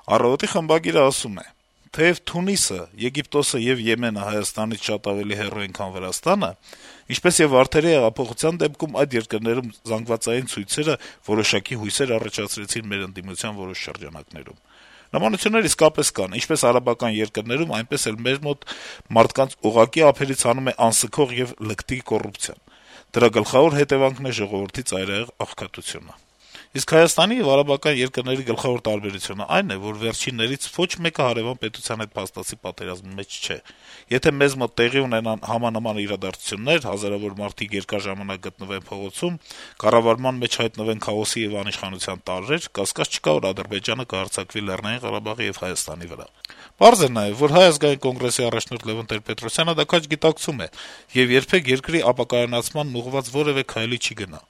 Առավոտի խմբագիրը ասում է. - «Թեև Թունիսը, Եգիպտոսը եւ Եմենը Հայաստանից շատ ավելի հեռու են, քան Վրաստանը, ինչպես եւ Վարդերի հեղափոխության դեպքում այդ երկրներում զանգվածային ցույցերը որոշակի հույսեր առաջացրեցին մեր ընդդիմության որոշ շրջանակներում։ Նմանություններ իսկապես կան, ինչպես արաբական երկրներում, այնպես էլ մեր մոտ մարդկանց ուղղակի ափերից հանում է անսքող եւ լկտի կոռուպցիան։ Դրա գլխավոր հետեւանքն է ժողովրդի ծայրահեղ աղքատությունը։ Իսկ Հայաստանի եւ արաբական երկրների գլխավոր տարբերությունը այն է, որ վերջիններից ոչ մեկը հարեւան պետության հետ փաստացի պատերազմի մեջ չէ։ Եթե մեզ մոտ տեղի ունենան համանման իրադարձություններ, հազարավոր մարդիկ երկար ժամանակ գտնվեն փողոցում, կառավարման մեջ հայտնվեն քաոսի եւ անիշխանության տարրեր, կասկած չկա, որ Ադրբեջանը կհարձակվի Լեռնային Ղարաբաղի եւ Հայաստանի վրա։ Պարզ է նաեւ, որ Հայ ազգային կոնգրեսի առաջնորդ Լեւոն Տեր-Պետրոսյանը դա քաջ գիտակցում է եւ երբեք երկրի ապակայունացմանն ուղղված որեւէ քայլի չի գնա։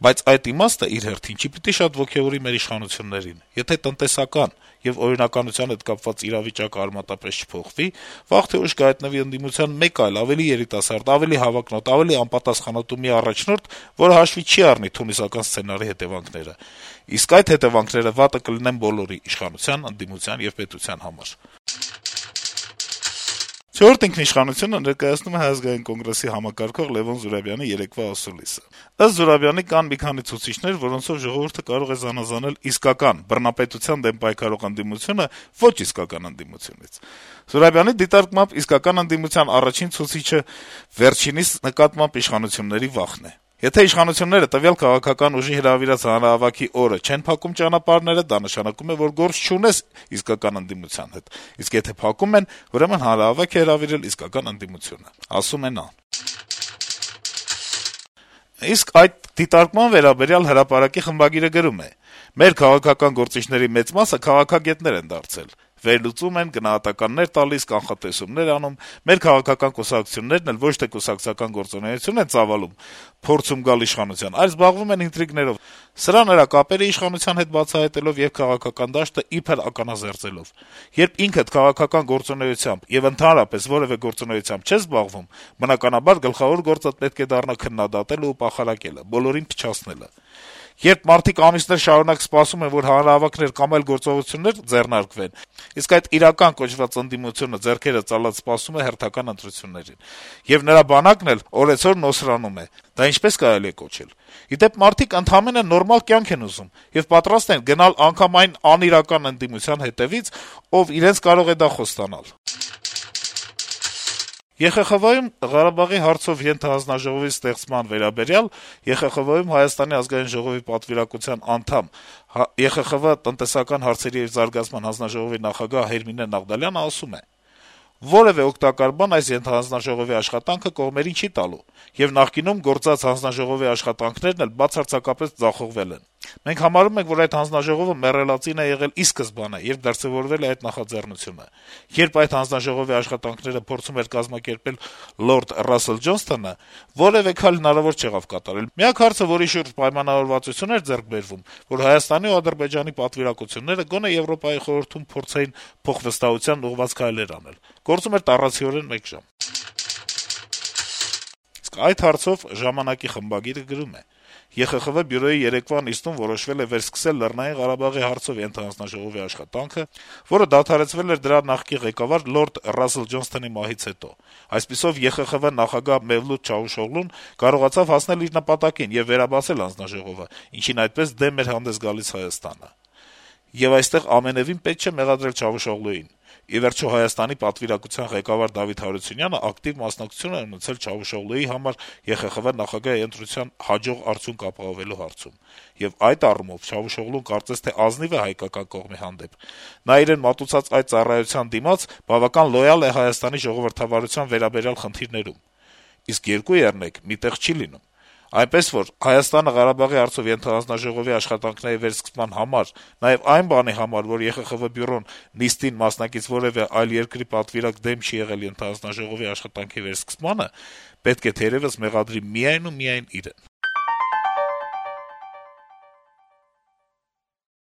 Բայց այդ իմաստը իր հերթին չի պիտի շատ ոգեւորի մեր իշխանություններին։ Եթե տնտեսական եւ օրինականության հետ կապված իրավիճակը արմատապես չփոխվի, վաղ թե ուշ կհայտնվի ընդդիմության մեկ այլ, ավելի երիտասարդ, ավելի հավակնոտ, ավելի անպատասխանատու մի առաջնորդ, որը հաշվի չի առնի թունիսական սցենարի հետեւանքները։ Իսկ այդ հետեւանքները վատը կլինեն բոլորի՝ իշխանության, ընդդիմության եւ պետության համար»։ «Չորրորդ ինքնիշխանությունը» ներկայացնում է Հայ ազգային կոնգրեսի համակարգող Լեւոն Զուրաբյանի երեկվա ասուլիսը։ Ըստ Զուրաբյանի, կան մի քանի ցուցիչներ, որոնցով ժողովուրդը կարող է զանազանել իսկական բռնապետության դեմ պայքարող ընդդիմությունը ոչ իսկական ընդդիմությունից։ Զուրաբյանի դիտարկմամբ իսկական ընդդիմության առաջին ցուցիչը վերջինիս նկատմամբ իշխանությունների վախն է։ Եթե իշխանությունները տվյալ քաղաքական ուժի հրավիրած հանրահավաքի օրը չեն փակում ճանապարհները, դա նշանակում է, որ գործ չունես իսկական ընդդիմության հետ, իսկ եթե փակում են, ուրեմն հանրահավաք է հրավիրել իսկական ընդդիմությունը, ասում է նա։ Իսկ այդ դիտարկման վերաբերյալ Հրապարակի խմբագիրը գրում է. - «Մեր քաղաքական գործիչների մեծ մասը քաղաքագետներ են դարձել, վերլուծում են, գնահատականներ տալիս, կանխատեսումներ անում, մեր քաղաքական կուսակցություններն էլ ոչ թե կուսակցական գործունեություն են ծավալում, փորձում գալ իշխանության, այլ զբաղվում են ինտրիգներով, սրա նրա կապերը իշխանության հետ բացահայտելով եւ քաղաքական դաշտը իբր ականազերծելով։ Երբ ինքդ քաղաքական գործունեությամբ եւ ընդհանրապես որեւէ գործունեությամբ չես զբաղվում, բնականաբար գլխավոր գործդ պետք է դառնա քննադատելը ու պախարակելը, բոլորին փչացնելը։ Երբ մարդիկ ամիսներ շարունակ սպասում են, որ հանրահավաքներ կամ այլ գործողություններ ձեռնարկվեն, իսկ այդ իրական կոչված ընդդիմությունը ձեռքերը ծալած սպասում է հերթական ընտրություններին, եւ նրա բանակն էլ օրեցօր նոսրանում է, դա ինչպես կարելի է կոչել։ Ի դեպ, մարդիկ ընդհանրապես նորմալ կյանք են ուզում եւ պատրաստ են գնալ անգամ այն անիրական ընդդիմության հետեւից, ով իրենց կարող է դա խոստանալ»։ ԵԽԽՎ-ում Ղարաբաղի հարցով ենթահանձնաժողովի ստեղծման վերաբերյալ ԵԽԽՎ-ում Հայաստանի ազգային ժողովի պատվիրակության անդամ, ԵԽԽՎ տնտեսական հարցերի եւ զարգացման հանձնաժողովի նախագահ Հերմինե Նաղդալյանը ասում է. - «Որեւէ օգտակար բան այս ենթահանձնաժողովի աշխատանքը կողմերին չի տալու, եւ նախկինում գործած հանձնաժողովի աշխատանքներն էլ բացարձակապես ձախողվել են։ Մենք համարում ենք, որ այդ հանձնաժողովը մեռելածին է եղել ի սկզբանե, երբ դրսեւորվել է այդ նախաձեռնությունը։ Երբ այդ հանձնաժողովի աշխատանքները փորձում էր կազմակերպել լորդ Ռասել Ջոնսթոնը, որեւէ քայլ հնարավոր չեղավ կատարել։ Միակ հարցը, որի շուրջ պայմանավորվածություն էր ձեռք բերվում, որ Հայաստանի ու Ադրբեջանի պատվիրակությունները գոնե Եվրոպայի խորհրդում փորձեին փոխվստահության ուղղված քայլեր անել։ Գործում էր տառացիորեն 1 ժամ»։ Իսկ այդ հարցով «Ժամանակ»-ի խմբագիրը գրում է. - «ԵԽԽՎ բյուրոյի երեկվա նիստում որոշվել է վերսկսել Լեռնային Ղարաբաղի հարցով ենթահանձնաժողովի աշխատանքը, որը դադարեցվել էր դրա նախկին ղեկավար լորդ Ռասել Ջոնսթոնի մահից հետո։ Այսպիսով ԵԽԽՎ նախագահ Մևլութ Չավուշօղլուն կարողացավ հասնել իր նպատակին եւ վերաբացել հանձնաժողովը, ինչին այդպես դեմ էր հանդես գալիս Հայաստանը։ Եվ այստեղ ամենեւին պետք չէ մեղադրել Չավուշօղլուին։ Ի վերջո Հայաստանի պատվիրակության ղեկավար Դավիթ Հարությունյանը ակտիվ մասնակցություն է ունեցել Չավուշօղլուի համար ԵԽԽՎ նախագահի ընտրության հաջող արդյունք ապահովելու հարցում։ Եվ այդ առումով Չավուշօղլուն կարծես թե ազնիվ է հայկական կողմի հանդեպ։ Նա իրեն մատուցած այդ ծառայության դիմաց բավական լոյալ է Հայաստանի ժողովրդավարության վերաբերյալ խնդիրներում։ Իսկ 2-3 մի տեղ չի լինում։ Այնպես որ Հայաստանը Ղարաբաղի հարցով ենթահանձնաժողովի աշխատանքների վերսկսման համար, նաեւ այն բանի համար, որ ԵԽԽՎ բյուրոն նիստին մասնակից որեւէ այլ երկրի պատվիրակ դեմ չի եղել ենթահանձնաժողովի աշխատանքի վերսկսմանը, պետք է թերեւս մեղադրի միայն ու միայն իրեն»։